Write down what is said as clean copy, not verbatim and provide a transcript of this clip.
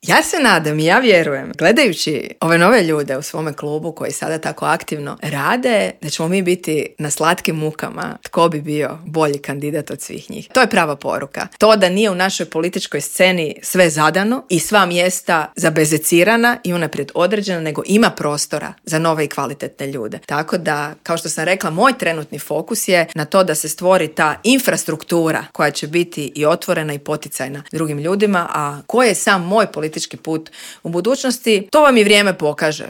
Ja se nadam i ja vjerujem, gledajući ove nove ljude u svome klubu koji sada tako aktivno rade, da ćemo mi biti na slatkim mukama tko bi bio bolji kandidat od svih njih. To je prava poruka. To da nije u našoj političkoj sceni sve zadano i sva mjesta zabezecirana i unaprijed određena, nego ima prostora za nove i kvalitetne ljude. Tako da, kao što sam rekla, moj trenutni fokus je na to da se stvori ta infrastruktura koja će biti i otvorena i poticajna drugim ljudima, a koji je sam moj politički put u budućnosti, to vam i vrijeme pokaže.